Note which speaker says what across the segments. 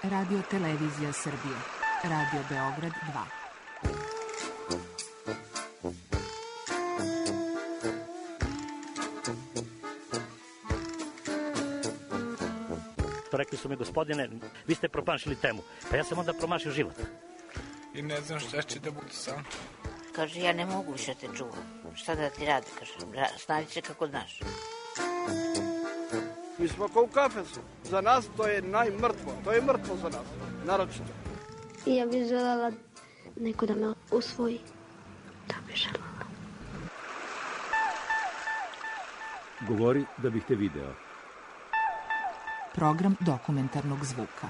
Speaker 1: Radio Televizija Srbije. Radio Beograd 2.
Speaker 2: Rekli su mi, gospodine, vi ste promašili temu. Pa ja sam onda promašio život.
Speaker 3: I ne znam šta će da bude sam.
Speaker 4: Kaže, ja ne mogu više te čuvam. Šta da ti radi, kaže, snađi se kako znaš.
Speaker 5: Mi smo kao u kafesu. Za nas to je najmrtvo. To je mrtvo za nas, naročito.
Speaker 6: I ja bih željela neko da me usvoji. Da bih željela.
Speaker 7: Govori da bih te video.
Speaker 1: Program dokumentarnog zvuka.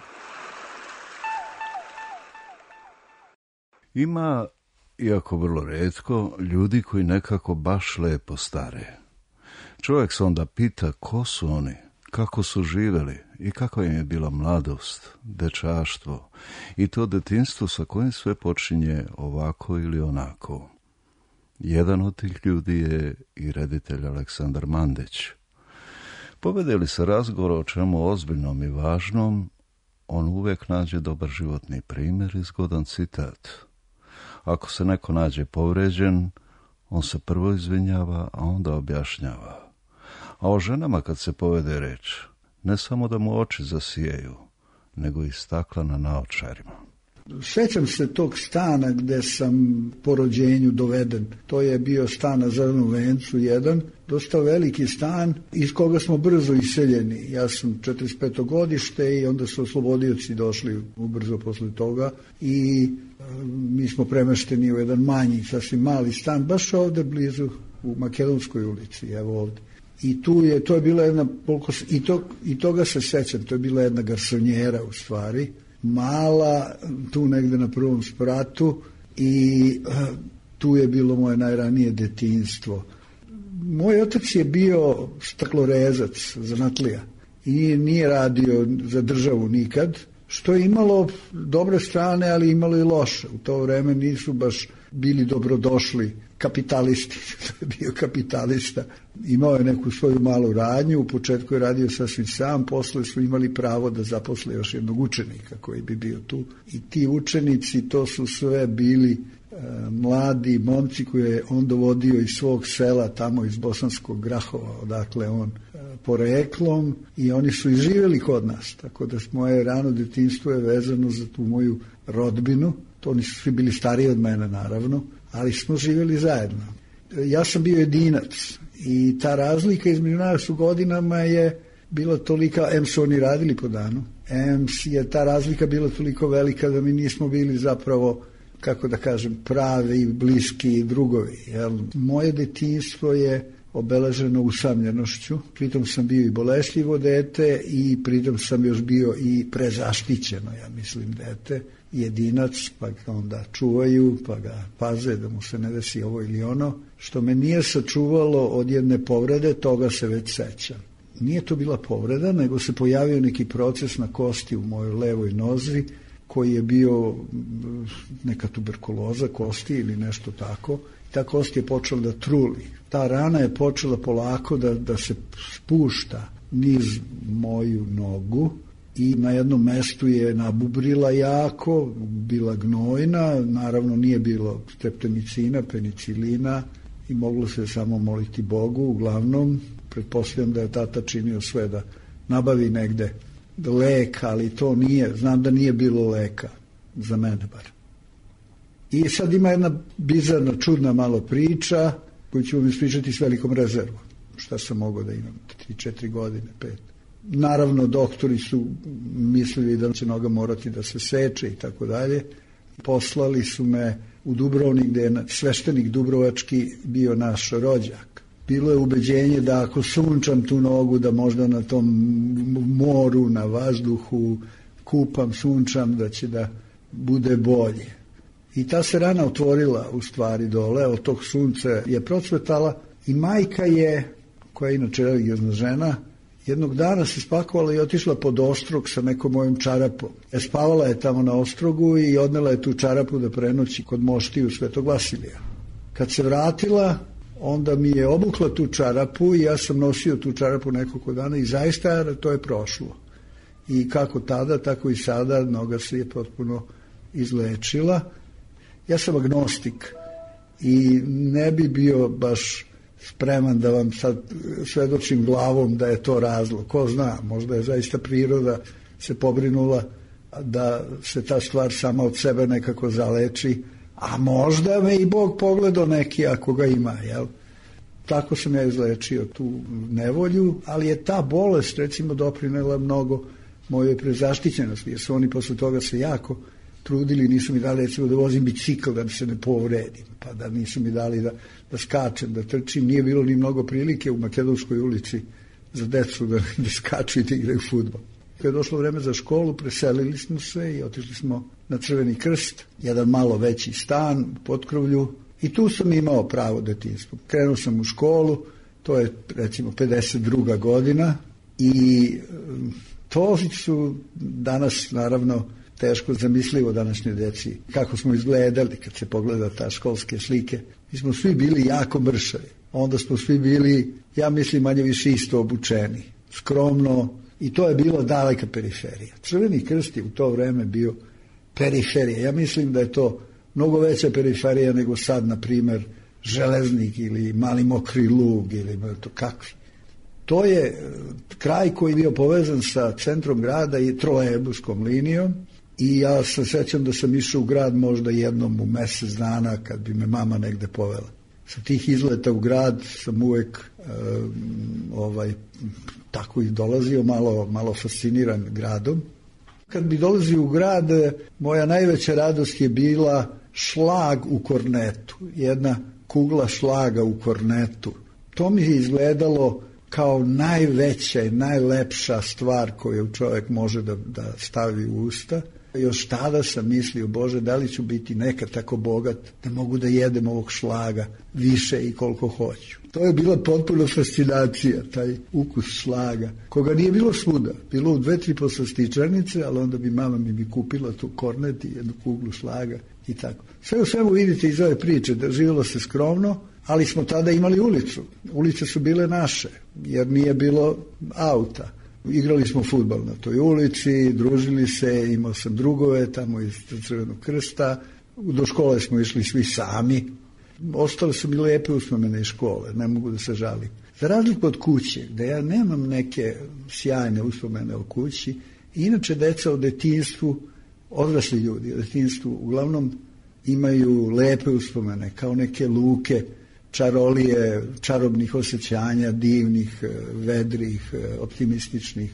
Speaker 8: Ima, iako vrlo retko, ljudi koji nekako baš lepo stare. Čovjek se onda pita ko su oni, kako su živjeli i kakva im je bila mladost, dečaštvo i to detinjstvo sa kojim sve počinje ovako ili onako. Jedan od tih ljudi je i reditelj Aleksandar Mandić. Povede li se razgovor o čemu ozbiljnom i važnom, on uvijek nađe dobar životni primjer i zgodan citat. Ako se neko nađe povređen, on se prvo izvinjava, a onda objašnjava. A o ženama kad se povede reč, ne samo da mu oči zasijaju, nego i stakla na naočarima.
Speaker 9: Sjećam se tog stana gdje sam po rođenju doveden. To je bio stan na Zelenom vencu, jedan, dosta veliki stan iz koga smo brzo iseljeni. Ja sam 45. godište i onda su oslobodioci došli ubrzo posle toga i mi smo premešteni u jedan manji, sasvim mali stan, baš ovdje blizu u Makedonskoj ulici, evo ovdje. I to je bila jedna, i toga se sjećam, to je bila jedna garsonjera u stvari, mala, tu negde na prvom spratu i tu je bilo moje najranije detinjstvo. Moj otac je bio staklorezac, zanatlija i nije radio za državu nikad, što je imalo dobre strane, ali imalo i loše. U to vreme nisu baš bili dobrodošli kapitalisti, to je bio kapitalista. Imao je neku svoju malu radnju, u početku je radio sasvim sam, posle su imali pravo da zaposle još jednog učenika koji bi bio tu. I ti učenici, to su sve bili mladi momci koje je on dovodio iz svog sela, tamo iz Bosanskog Grahova, odakle on poreklom, i oni su i živjeli kod nas, tako da moje rano detinjstvo je vezano za tu moju rodbinu. To oni su svi bili stariji od mene, naravno, ali smo živjeli zajedno. Ja sam bio jedinac i ta razlika između nas u godinama je bila tolika, em su oni radili po danu, em je ta razlika bila toliko velika da mi nismo bili zapravo, kako da kažem, pravi, bliski drugovi. Jel? Moje detinjstvo je obeleženo usamljenošću, pritom sam bio i bolešljivo dete i pritom sam još bio i prezaštićeno, ja mislim, dete, jedinac, pa ga onda čuvaju, pa ga paze da mu se ne desi ovo ili ono, što me nije sačuvalo od jedne povrede, toga se već sećam. Nije to bila povreda, nego se pojavio neki proces na kosti u mojoj levoj nozi, koji je bio neka tuberkuloza kosti ili nešto tako. Ta kost je počela da truli. Ta rana je počela polako da se spušta niz moju nogu i na jednom mestu je nabubrila jako, bila gnojna, naravno nije bilo streptomicina, penicilina i moglo se samo moliti Bogu. Uglavnom, pretpostavljam da je tata činio sve da nabavi negde lek, ali to nije, znam da nije bilo leka, za mene bar. I sad ima jedna bizarna, čudna malo priča koju ću vam ispričati s velikom rezervom. Šta sam mogao da imam, 3-4 godine, 5. Naravno, doktori su mislili da će noga morati da se seče i tako dalje. Poslali su me u Dubrovnik, gde je sveštenik dubrovački bio naš rođak. Bilo je ubeđenje da ako sunčam tu nogu, da možda na tom moru, na vazduhu, kupam, sunčam, da će da bude bolje. I ta se rana otvorila u stvari dole, od tog sunca je procvetala i majka je, koja je inače religiozna žena, jednog dana se spakovala i otišla pod ostrog sa nekom mojom čarapom. Spavala je tamo na ostrogu i odnela je tu čarapu da prenoći kod moštiju Svetog Vasilija. Kad se vratila, onda mi je obukla tu čarapu i ja sam nosio tu čarapu nekoliko dana i zaista to je prošlo. i kako tada, tako i sada noga se je potpuno izlečila. Ja sam agnostik i ne bi bio baš spreman da vam sad svedočim glavom da je to razlog. Ko zna, možda je zaista priroda se pobrinula da se ta stvar sama od sebe nekako zaleči, a možda me i Bog pogledao neki ako ga ima, jel? Tako sam ja izlečio tu nevolju, ali je ta bolest recimo doprinela mnogo mojoj prezaštićenosti, jer su oni posle toga se jako trudili, nisu mi dali recimo da vozim bicikl da se ne povredim, pa da nisu mi dali da skačem, da trčim, nije bilo ni mnogo prilike u Makedonskoj ulici za decu da skaču i da igraju fudbal. Kad je došlo vreme za školu, preselili smo se i otišli smo na Crveni krst, jedan malo veći stan u potkrovlju, i tu sam imao pravo detinjstvo. Krenuo sam u školu, to je recimo 52. godina i to su danas naravno teško zamislivo današnjoj deci. Kako smo izgledali kad se pogleda ta školske slike. Mi smo svi bili jako mršavi. Onda smo svi bili, ja mislim, manje više isto obučeni. Skromno, i to je bila daleka periferija. Crveni krst je u to vreme bio periferija. Ja mislim da je to mnogo veća periferija nego sad, na primer, Železnik ili Mali Mokri Lug ili to kakvi. To je kraj koji je bio povezan sa centrom grada i trolejbuskom linijom i ja se sećam da sam išao u grad možda jednom u mesec dana kad bi me mama negde povela. Sa tih izleta u grad sam uvek tako i dolazio, malo fasciniran gradom. Kad bi dolazio u grad, moja najveća radost je bila šlag u kornetu, jedna kugla šlaga u kornetu. To mi je izgledalo kao najveća i najlepša stvar koju čovjek može da stavi u usta. Još tada sam mislio, Bože, da li ću biti nekad tako bogat da mogu da jedem ovog šlaga više i koliko hoću. To je bila potpuno fascinacija, taj ukus šlaga, koga nije bilo svuda. Bilo u 2-3 poslastičarnice, ali onda bi mama mi kupila tu kornet i jednu kuglu šlaga i tako. Sve u svemu vidite iz ove priče da živjelo se skromno, ali smo tada imali ulicu. Ulice su bile naše, jer nije bilo auta. Igrali smo fudbal na toj ulici, družili se, imao sam drugove tamo iz Crvenog krsta, do škole smo išli svi sami. Ostale su mi lepe uspomene iz škole, ne mogu da se žalim. Za razliku od kuće, da ja nemam neke sjajne uspomene o kući, inače deca o detinjstvu, odrasli ljudi o detinjstvu, uglavnom imaju lepe uspomene, kao neke luke, čarolije, čarobnih osjećanja, divnih, vedrih, optimističnih,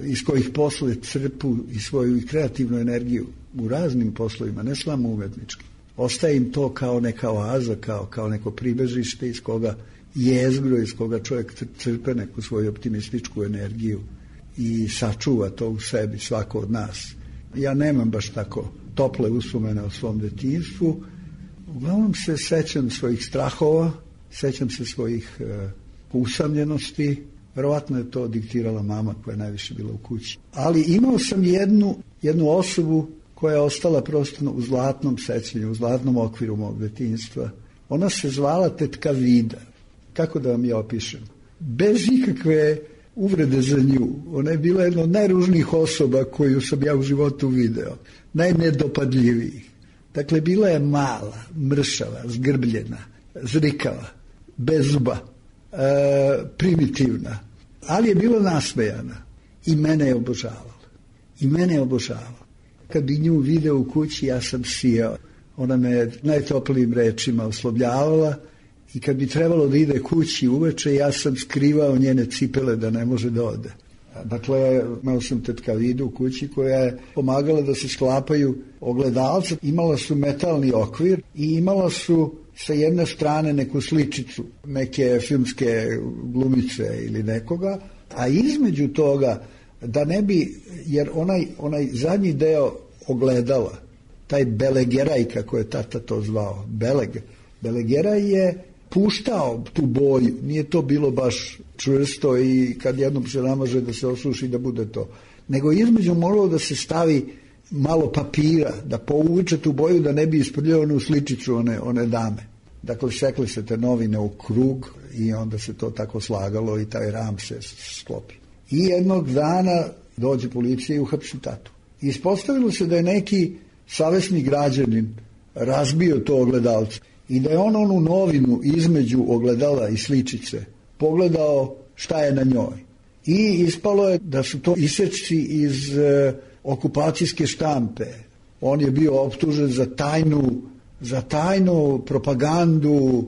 Speaker 9: iz kojih posle crpu i svoju kreativnu energiju u raznim poslovima, ne samo umetnički. Ostaje im to kao neka oaza, kao neko pribežište iz koga jezgro, iz koga čovjek crpe neku svoju optimističku energiju i sačuva to u sebi, svako od nas. Ja nemam baš tako tople uspomene o svom detinjstvu. Uglavnom se sećam svojih strahova, sećam se svojih usamljenosti. Verovatno je to diktirala mama koja je najviše bila u kući. Ali imao sam jednu osobu koja je ostala prosto u zlatnom sećanju, u zlatnom okviru mog detinjstva. Ona se zvala tetka Vida. Kako da vam je opišem? Bez ikakve uvrede za nju. Ona je bila jedna od najružnijih osoba koju sam ja u životu video. Najnedopadljivijih. Dakle, bila je mala, mršava, zgrbljena, zrikava, bez zuba, primitivna, ali je bila nasmejana i mene je obožavala. Kad bi nju video u kući, ja sam sijao. Ona me najtoplijim rečima oslovljavala i kad bi trebalo da ide kući uveče, ja sam skrivao njene cipele da ne može da ode. Dakle, imao sam tetka Vidu u kući koja je pomagala da se sklapaju ogledalca. Imala su metalni okvir i imala su sa jedne strane neku sličicu, neke filmske glumice ili nekoga, a između toga da ne bi, jer onaj zadnji deo ogledala, taj belegeraj, kako je tata to zvao, belegeraj je puštao tu boju, nije to bilo baš čvrsto i kad jednom se namaže da se osuši da bude to, nego između moralo da se stavi malo papira, da povuče tu boju da ne bi isprljao onu sličicu one dame. Dakle, sekli se te novine u krug i onda se to tako slagalo i taj ram se sklopi. I jednog dana Dođe policija i uhapsi tatu. Ispostavilo se da je neki savesni građanin razbio to ogledalce i da je on onu novinu između ogledala i sličice pogledao šta je na njoj. I ispalo je da su to isečci iz okupacijske štampe. On je bio optužen za tajnu propagandu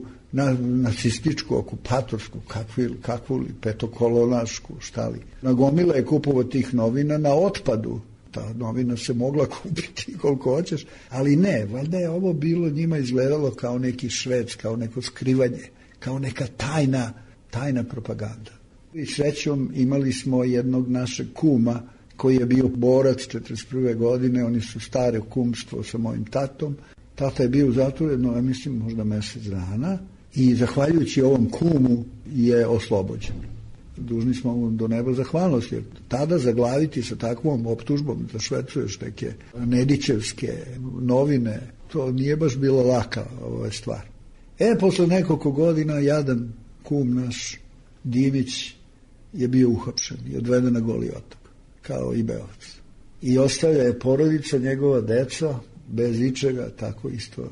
Speaker 9: nacističku, okupatorsku, kakvu li, petokolonašku, šta li. Nagomila je kupovo tih novina na otpadu. Ta novina se mogla kupiti koliko hoćeš, ali ne, valjda je ovo bilo njima izgledalo kao neki švec, kao neko skrivanje, kao neka tajna propaganda. I srećom imali smo jednog našeg kuma koji je bio borac 1941. godine, oni su stare kumstvo sa mojim tatom. Tata je bio u zatvoru jedno, ja mislim, možda mjesec dana i zahvaljujući ovom kumu je oslobođen. Dužni smo mu do neba zahvalnosti, jer tada zaglaviti sa takvom optužbom da švercuješ neke Nedićevske novine, to nije baš bilo laka stvar. Posle nekoliko godina jadan kum naš Divić je bio uhapšen i odveden na Goli otok, kao i Beovac. I ostavlja je porodica, njegova deca, bez ičega, tako isto.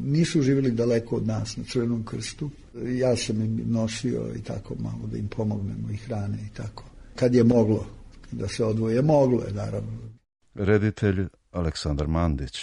Speaker 9: Nisu živjeli daleko od nas na Crvenom krstu. Ja sam im nosio i tako malo da im pomognemo i hrane i tako. Kad je moglo da se odvoje, moglo je naravno.
Speaker 8: Reditelj Aleksandar Mandić.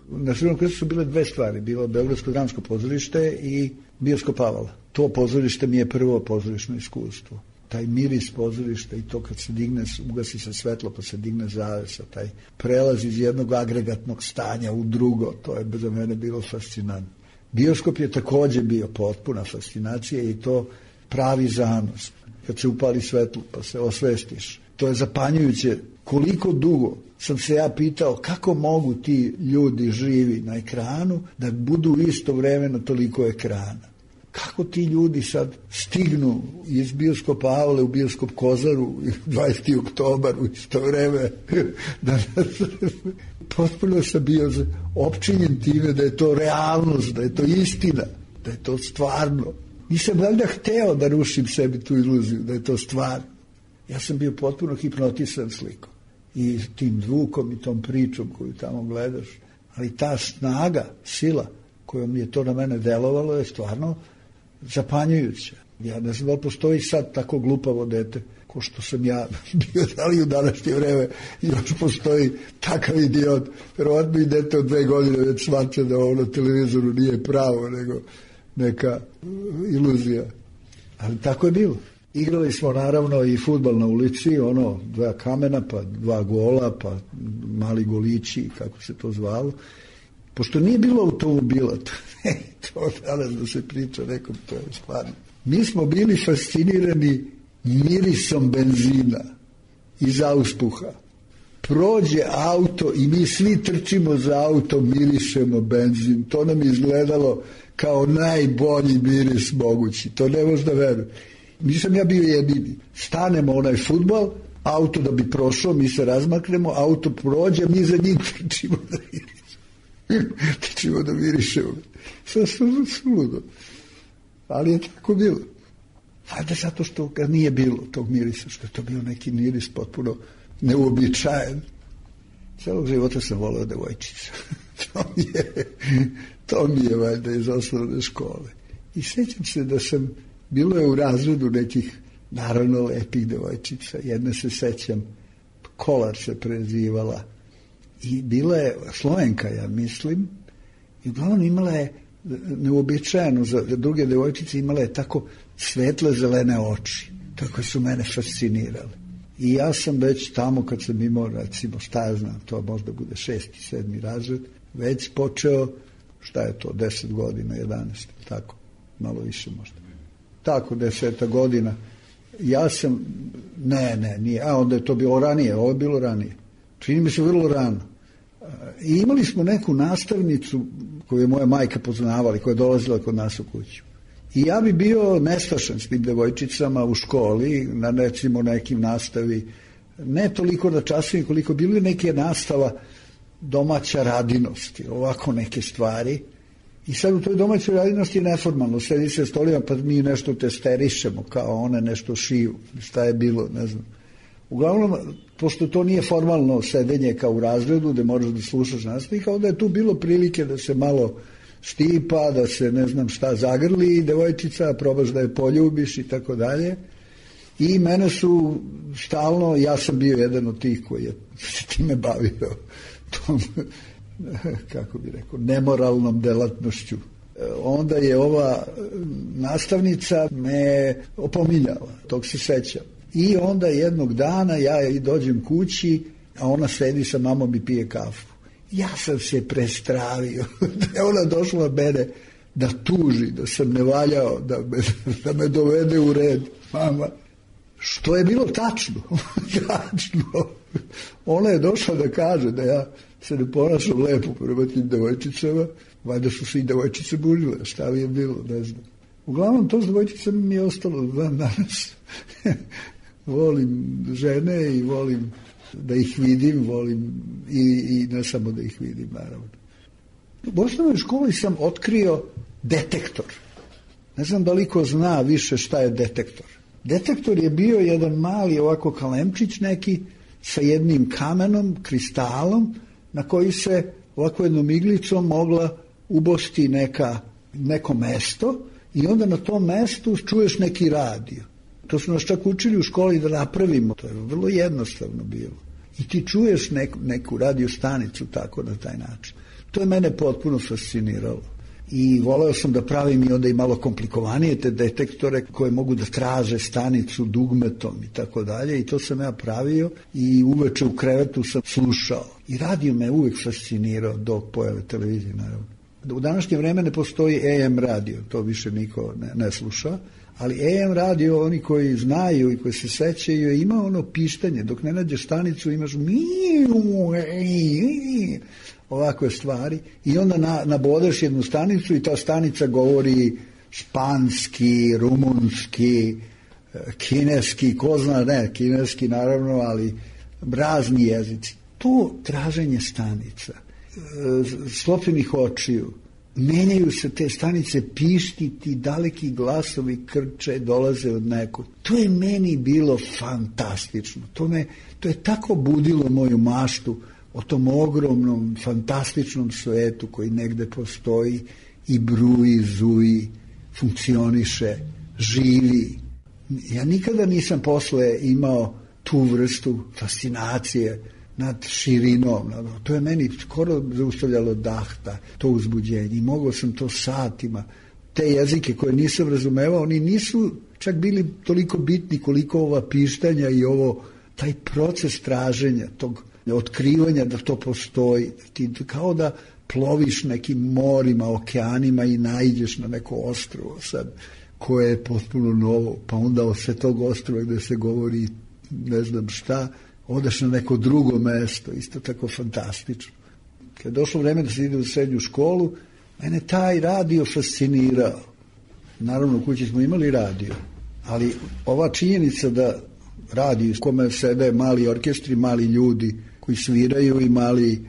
Speaker 9: Na Crvenom krstu su bile dve stvari. Bilo Beogradsko dramsko pozorište i Bioskop Avala. To pozorište mi je prvo pozorišno iskustvo. Taj miris pozorišta i to kad se digne, ugasi se svetlo pa se digne zavesa, taj prelaz iz jednog agregatnog stanja u drugo, to je za mene bilo fascinantno. Bioskop je također bio potpuna fascinacija i to pravi zanos. Kad se upali svetlo pa se osvestiš. To je zapanjujuće. Koliko dugo sam se ja pitao kako mogu ti ljudi živi na ekranu da budu isto vremeno toliko ekrana. Kako ti ljudi sad stignu iz Bioskopa Avale u Bioskop Kozaru 20. oktobar u isto vreme. Potpuno sam bio opčinjen time da je to realnost, da je to istina, da je to stvarno. Nisam valjda hteo da rušim sebi tu iluziju, da je to stvarno. Ja sam bio potpuno hipnotisan slikom. I tim zvukom i tom pričom koju tamo gledaš. Ali ta snaga, sila kojom je to na mene delovalo je stvarno zapanjujuće. Ja ne znam da li postoji sad tako glupavo dete ko što sam ja bio, da li u današnje vreme još postoji takav idiot. Verovatno i dete od 2 godine već shvaća da ovo na televizoru nije pravo, nego neka iluzija. Ali tako je bilo. Igrali smo naravno i fudbal na ulici, 2 kamena, pa 2 gola, pa mali golići, kako se to zvalo. Pošto nije bilo automobila, to danas da se priča nekom, to je stvarno. Mi smo bili fascinirani mirisom benzina iz auspuha. Prođe auto i mi svi trčimo za auto, mirišemo benzin. To nam izgledalo kao najbolji miris mogući. To ne možda verujem. Nisam ja bio jedini. Stanemo onaj fudbal, auto da bi prošao, mi se razmaknemo, auto prođe, mi za njim trčimo da trčimo da mirišemo. Sve suludo. Ali je tako bilo. Valjda zato što ga nije bilo tog mirisa, što je to bio neki miris potpuno neuobičajen. Celog života sam voleo devojčica. to mi je valjda iz osnovne škole. I sjećam se da sam, bilo je u razredu nekih naravno lepih devojčica. Jedna se sećam, Kolar se prezivala. I bila je Slovenka, ja mislim, i uglavnom imala je neuobičajeno za druge devojčice, imala je tako svetle zelene oči, tako su mene fascinirale. I ja sam već tamo kad sam imao, recimo, šta ja znam, to možda bude 6. 7. razred, već počeo, šta je to, 10 godina, 11, tako, malo više možda. Tako, 10 godina. Ja sam, nije, onda je to bilo ranije, ovo je bilo ranije. Čini mi se vrlo rano. I imali smo neku nastavnicu koju je moja majka poznavala i koja je dolazila kod nas u kuću. I ja bi bio nestašan s tim devojčicama u školi, na recimo nekim nastavi, ne toliko na časovima koliko bili neke nastava domaća radinosti, ovako neke stvari. I sad u toj domaćoj radinosti je neformalno, sedi se stolima pa mi nešto testerišemo, kao one nešto šiju, šta je bilo, ne znam. Uglavnom, pošto to nije formalno sedenje kao u razredu gde moraš da slušaš nastavnika, onda je tu bilo prilike da se malo štipa, da se ne znam šta zagrli devojčica, probaš da je poljubiš i tako dalje. I mene su stalno, ja sam bio jedan od tih koji je se time bavio, tom, kako bi rekao, nemoralnom delatnošću. Onda je ova nastavnica me opominjala, tog se sećam. I onda jednog dana ja dođem kući, a ona sedi sa mamom i pije kafu. Ja sam se prestravio, da je ona došla mene da tuži, da sam ne valjao, da me dovede u red. Mama, što je bilo tačno. Tačno. Ona je došla da kaže da ja se ne ponašam lepo prema tim devojčicama, valjda su se i devojčice bužile, šta li je bilo, ne znam. Uglavnom, to s devojčicama mi je ostalo dan danas. Volim žene i volim da ih vidim, volim i ne samo da ih vidim, naravno. U osnovnoj školi sam otkrio detektor. Ne znam da li ko zna više šta je detektor. Detektor je bio jedan mali ovako kalemčić neki sa jednim kamenom, kristalom, na koji se ovako jednom iglicom mogla ubosti neko mesto i onda na tom mestu čuješ neki radio. To su nas čak učili u školi da napravimo. To je vrlo jednostavno bilo. I ti čuješ neku radio stanicu tako na taj način. To je mene potpuno fasciniralo. I voleo sam da pravim i onda i malo komplikovanije te detektore koje mogu da traže stanicu dugmetom i tako dalje. I to sam ja pravio i uveče u krevetu sam slušao. I radio me uvek fascinirao do pojave televizije, naravno. U današnje vreme ne postoji AM radio, to više niko ne sluša. Ali AM radio, oni koji znaju i koji se sećaju, ima ono pištanje. Dok ne nađeš stanicu imaš ovakve stvari i onda nabodeš jednu stanicu i ta stanica govori španski, rumunski, kineski, ko zna, ne, kineski naravno, ali razni jezici. To traženje stanica, sklopljenih očiju, menjaju se te stanice, pištiti, daleki glasovi krče, dolaze od nekog. To je meni bilo fantastično. To je tako budilo moju maštu o tom ogromnom, fantastičnom svetu koji negde postoji i bruji, zuji, funkcioniše, živi. Ja nikada nisam posle imao tu vrstu fascinacije nad širinom. To je meni skoro zaustavljalo dahta, to uzbuđenje. I mogao sam to satima. Te jezike koje nisam razumevao, oni nisu čak bili toliko bitni koliko ova pištanja i taj proces traženja, tog otkrivanja da to postoji. Ti kao da ploviš nekim morima, okeanima i naiđeš na neko ostrvo sad, koje je potpuno novo, pa onda od sve tog ostrova gde se govori ne znam šta, odeš na neko drugo mesto, isto tako fantastično. Kad je došlo vreme da se ide u srednju školu, mene taj radio fascinirao. Naravno, u kući smo imali radio, ali ova činjenica da radio, s kome sede mali orkestri, mali ljudi koji sviraju i mali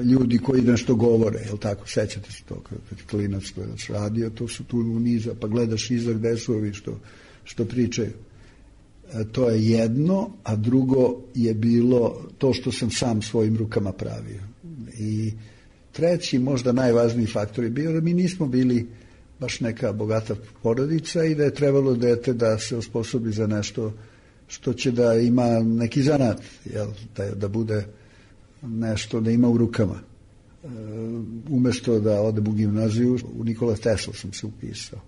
Speaker 9: ljudi koji nešto govore, jel tako, sećate se to, kad klinac gledaš radio, to su tu uniza, pa gledaš iza gde su ovi što pričaju. To je jedno, a drugo je bilo to što sam sam svojim rukama pravio. I treći, možda najvažniji faktor je bio da mi nismo bili baš neka bogata porodica i da je trebalo dete da se osposobi za nešto što će da ima neki zanat, jel, da bude nešto da ima u rukama. Umesto da odem u gimnaziju, u Nikola Tesla sam se upisao.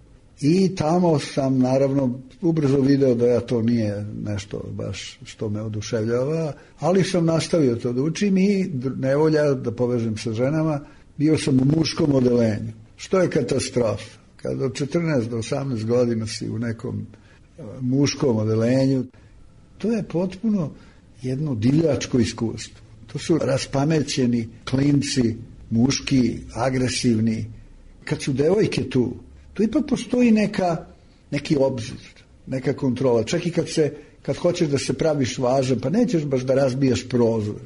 Speaker 9: I tamo sam naravno ubrzo video da ja to nije nešto baš što me oduševljava, ali sam nastavio to da učim i nevolja da povežem sa ženama, bio sam u muškom odelenju. Što je katastrofa? Kad od 14 do 18 godina si u nekom muškom odelenju, to je potpuno jedno divljačko iskustvo. To su raspamećeni klinci, muški, agresivni. Kad su devojke tu ipak postoji neki obzir, neka kontrola. Čak i kad hoćeš da se praviš važan, pa nećeš baš da razbijaš prozor,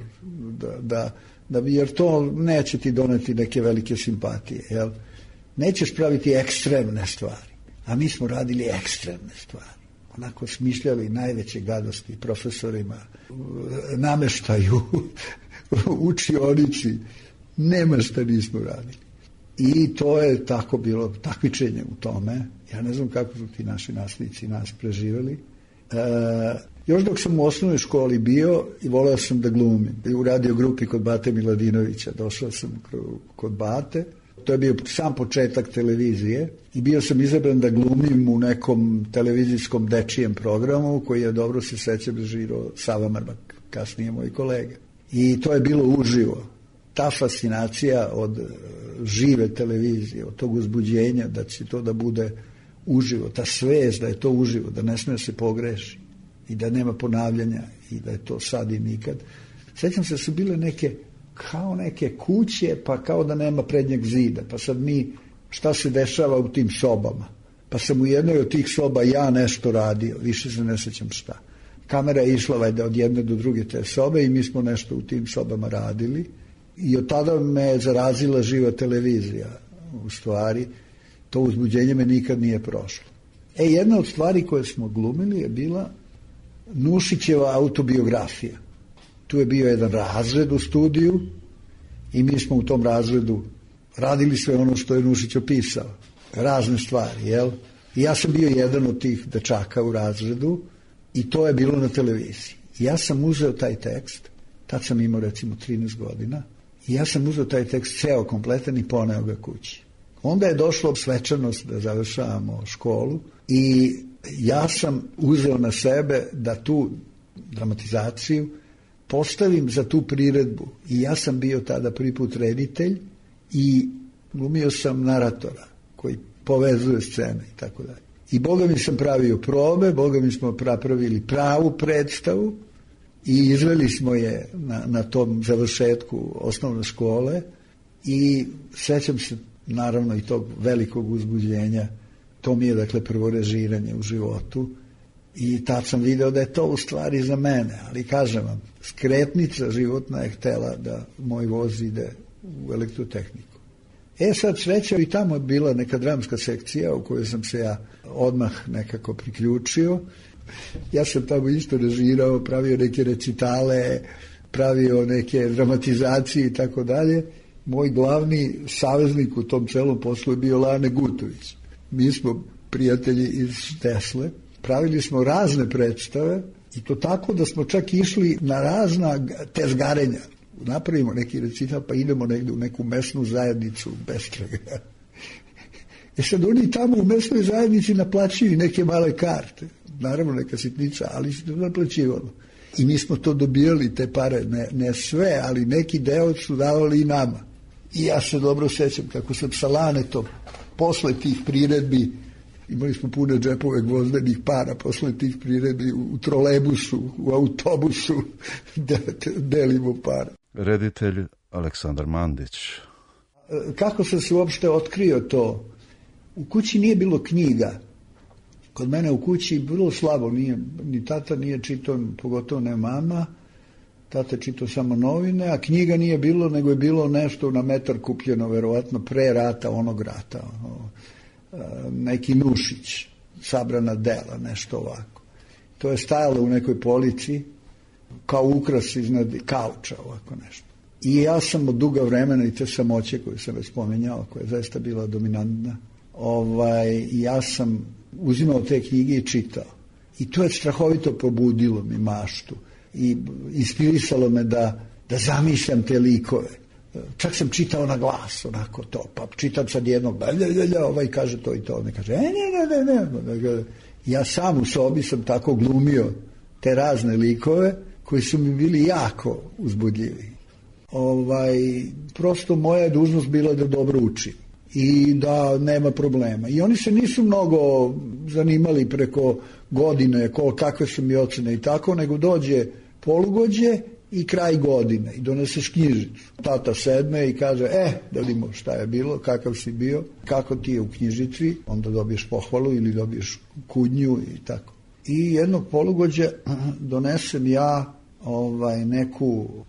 Speaker 9: jer to neće ti doneti neke velike simpatije. Jel? Nećeš praviti ekstremne stvari, a mi smo radili ekstremne stvari. onako smišljali najveće gadosti profesorima, nameštaju, učionici, nema šta nismo radili. I to je tako bilo takmičenje u tome. Ja ne znam kako su ti naši nasljednici nas preživjeli. Još dok sam u osnovnoj školi bio i voleo sam da glumim. U radio grupi kod Bate Miladinovića. Došao sam kod Bate. To je bio sam početak televizije i bio sam izabran da glumim u nekom televizijskom dečijem programu koji je, dobro se sećam, režirao Sava Mrmak, kasnije moj kolega. I to je bilo uživo. Ta fascinacija od žive televizije, od tog uzbuđenja da će to da bude uživo, ta svest da je to uživo, da ne smije se pogreši i da nema ponavljanja i da je to sad i nikad. Sećam se da su bile neke kao neke kuće, pa kao da nema prednjeg zida, pa sad mi šta se dešava u tim sobama, pa sam u jednoj od tih soba ja nešto radio, više se ne sećam šta. Kamera je išla od jedne do druge te sobe i mi smo nešto u tim sobama radili i od tada me zarazila živa televizija. U stvari, to uzbuđenje me nikad nije prošlo. Jedna od stvari koje smo glumili je bila Nušićeva autobiografija. Tu je bio jedan razred u studiju i mi smo u tom razredu radili sve ono što je Nušić opisao. Razne stvari, jel? I ja sam bio jedan od tih dečaka u razredu i to je bilo na televiziji. Ja sam uzeo taj tekst, tad sam imao recimo 13 godina, i ja sam uzeo taj tekst ceo kompletan i poneo ga kući. Onda je došlo svečanost da završavamo školu i ja sam uzeo na sebe da tu dramatizaciju postavim za tu priredbu. I ja sam bio tada prvi put reditelj i glumio sam naratora koji povezuje scene i tako dalje. I Boga mi sam pravio probe, Boga mi smo napravili pravu predstavu i izveli smo je na tom završetku osnovne škole i sećam se naravno i tog velikog uzbuđenja. To mi je dakle prvo režiranje u životu i tad sam video da je to u stvari za mene, ali kažem vam, skretnica životna je htela da moj voz ide u elektrotehniku. Sad sreća i tamo je bila neka dramska sekcija u kojoj sam se ja odmah nekako priključio. Ja sam tamo isto režirao, pravio neke recitale, pravio neke dramatizacije i tako dalje. Moj glavni saveznik u tom celom poslu je bio Lane Gutović. Mi smo prijatelji iz Tesle, pravili smo razne predstave i to tako da smo čak išli na razna tezgarenja. Napravimo neki recital pa idemo negde u neku mesnu zajednicu bestraga. Sad oni tamo u mesnoj zajednici naplaćuju neke male karte. Naravno neka sitnica, ali se to naplaćivalo. I mi smo to dobijali, te pare, ne sve, ali neki deo su davali i nama. I ja se dobro sećam kako sam sa Lanetom posle tih priredbi, imali smo pune džepove gvozdenih para, posle tih priredbi u trolebusu, u autobusu delimo para.
Speaker 8: Reditelj Aleksandar Mandić.
Speaker 9: Kako sam se uopšte otkrio to? U kući nije bilo knjiga. Kod mene u kući vrlo slabo, ni tata nije čitao, pogotovo ne mama. Tata je čitao samo novine, a knjiga nije bilo, nego je bilo nešto na metar kupljeno, verovatno pre rata, onog rata. Neki Nušić, sabrana dela, nešto ovako. To je stajalo u nekoj polici, kao ukras iznad kauča, ovako nešto. I ja sam od duga vremena i te samoće koju sam već spomenjao, koja je zaista bila dominantna, ja sam uzimao te knjige i čitao. I to je strahovito pobudilo mi maštu i inspirisalo me da zamišljam te likove. Čak sam čitao na glas, onako to, pa čitam sad jednog, ovaj kaže to i to, on kaže, ne. Ja sam u sobi sam tako glumio te razne likove koji su mi bili jako uzbudljivi. Prosto moja je dužnost bila da dobro učim i da nema problema. I oni se nisu mnogo zanimali preko godine kakve su mi ocene i tako, nego dođe polugođe i kraj godine i doneseš knjižicu. Tata sedme i kaže, da vidimo šta je bilo, kakav si bio, kako ti je u knjižici, onda dobiješ pohvalu ili dobiješ kudnju i tako. I jednog polugođe donesem ja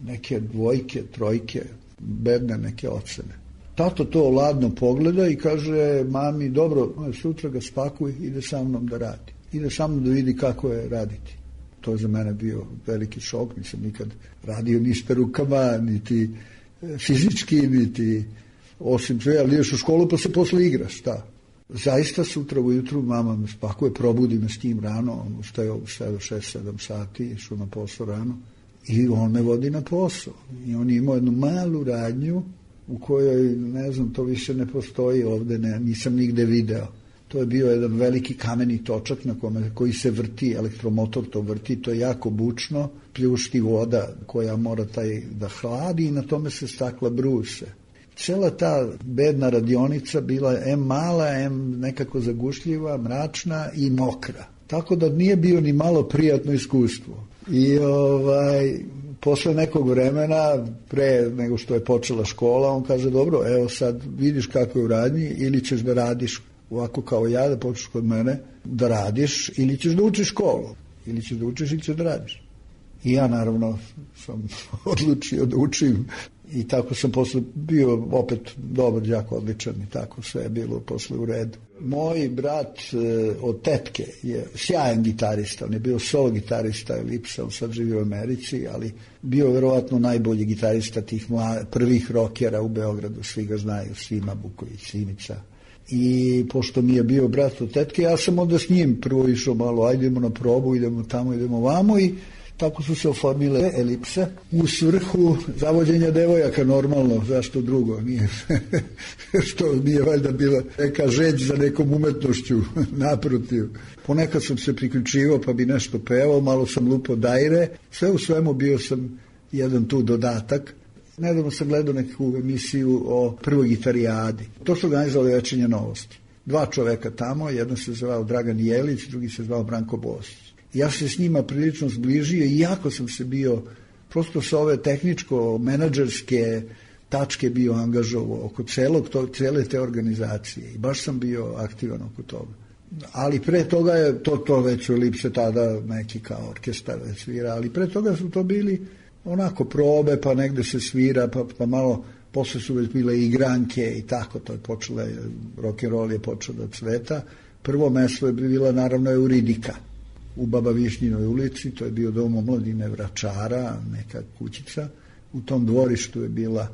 Speaker 9: neke dvojke, trojke, bedne neke ocene. Tato to ladno pogleda i kaže mami, dobro, sutra ga spakuj, ide sa mnom da radi. ide sa mnom da vidi kako je raditi. To je za mene bio veliki šok, nisam nikad radio ništa rukama, niti fizički, niti osim sve, ali ideš u školu pa se posle igraš, šta? Zaista sutra ujutru mama me spakuje, probudi me s tim rano, on ustaje u 6-7 sati, išao na posao rano i on me vodi na posao. I on je imao jednu malu radnju u kojoj, ne znam, to više ne postoji ovde, nisam nigde video. To je bio jedan veliki kameni točak koji se vrti, elektromotor to vrti, to je jako bučno, pljušti voda koja mora da hladi i na tome se stakla bruse. Cela ta bedna radionica bila mala, nekako zagušljiva, mračna i mokra. Tako da nije bio ni malo prijatno iskustvo. I posle nekog vremena, pre nego što je počela škola, on kaže, dobro, evo sad vidiš kako je u radnji, ili ćeš da radiš ovako kao ja, da počneš kod mene, da radiš, ili ćeš da učiš školu. Ili ćeš da učiš, ili ćeš da radiš. I ja, naravno, sam odlučio da učim. I tako sam posle bio opet dobar đak, odličan i tako sve je bilo posle u redu. Moj brat od tetke je sjajan gitarista, on je bio solo gitarista Elipsa, on sad živi u Americi, ali bio verovatno najbolji gitarista tih prvih rokera u Beogradu, svi ga znaju, Sima Buković, Simica. I pošto mi je bio brat od tetke, ja sam onda s njim prvo išao malo, ajde idemo na probu, idemo tamo, idemo vamo i tako su se oformile Elipse u svrhu zavođenja devojaka, normalno, zašto drugo, nije, što nije valjda bila neka žeđ za nekom umetnošću, naprotiv. Ponekad sam se priključivao pa bi nešto pevao, malo sam lupao dajre, sve u svemu bio sam jedan tu dodatak. Nedavno sam gledao neku emisiju o prvoj gitarijadi. To su organizovali Večernje novosti. 2 čoveka tamo, jedan se zvao Dragan Jelić, drugi se zvao Branko Bosić. Ja se s njima prilično zbližio i jako sam se bio, prosto sa ove tehničko-menadžerske tačke bio angažovao oko cele te organizacije i baš sam bio aktivan oko toga. Ali pre toga je to već u Elipse tada neki kao orkestar već svira, ali pre toga su to bili onako probe, pa negde se svira, pa malo, posle su već bile igranke i tako, to je počelo, rock'n'roll je počeo da cveta. Prvo mesto je bila naravno Euridika u Baba Višnjinoj ulici, to je bio dom omladine Vračara, neka kućica. U tom dvorištu je bila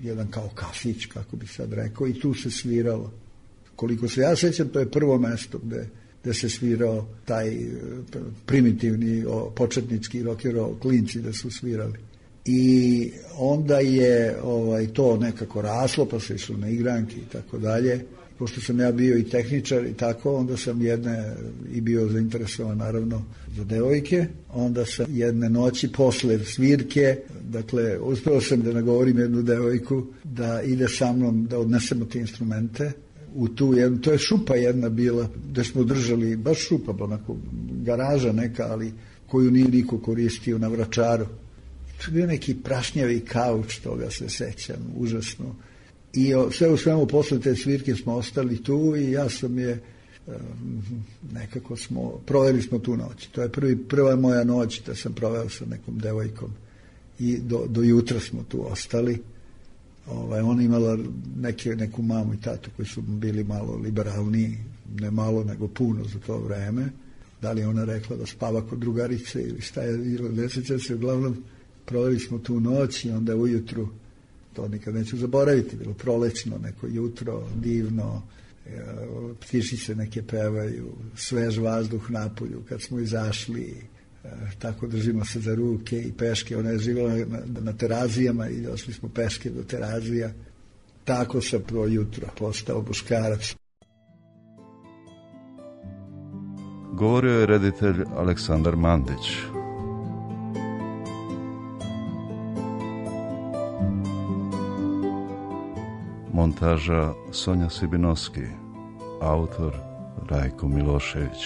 Speaker 9: jedan kao kafić, kako bi sad rekao, i tu se sviralo. Koliko se ja sećam, to je prvo mesto gde se svirao taj primitivni početnički rock and roll, klinci da su svirali. I onda je to nekako raslo, pa se išlo na igranke i tako dalje. Pošto sam ja bio i tehničar i tako, onda sam i bio zainteresovan naravno za devojke, onda sam jedne noći posle svirke, dakle, uspeo sam da nagovorim jednu devojku da ide sa mnom, da odnesemo te instrumente u tu jednu, to je šupa jedna bila, gde smo držali, baš šupa, onako, garaža neka, ali koju nije niko koristio na Vračaru. To je bio neki prašnjavi kauč, toga se sećam, užasno. I sve u svemu posle te svirke smo ostali tu i ja sam nekako proveli smo tu noć. To je prva moja noć da sam proveo sa nekom devojkom i do jutra smo tu ostali. Ona imala neku mamu i tatu koji su bili malo liberalniji, ne malo nego puno za to vreme. Da li ona rekla da spava kod drugarice ili šta je bilo, ne sećam se, uglavnom proveli smo tu noć i onda ujutru, to nikad neću zaboraviti, bilo prolećno neko jutro, divno, ptičice neke pevaju, svež vazduh napolju, kad smo izašli, tako držimo se za ruke i peške, ona je živjela na Terazijama i došli smo peške do Terazija, tako sam prvo jutro postao muškarac.
Speaker 8: Govorio je reditelj Aleksandar Mandić. Montaža Sonja Sibinovski, autor Rajko Milošević.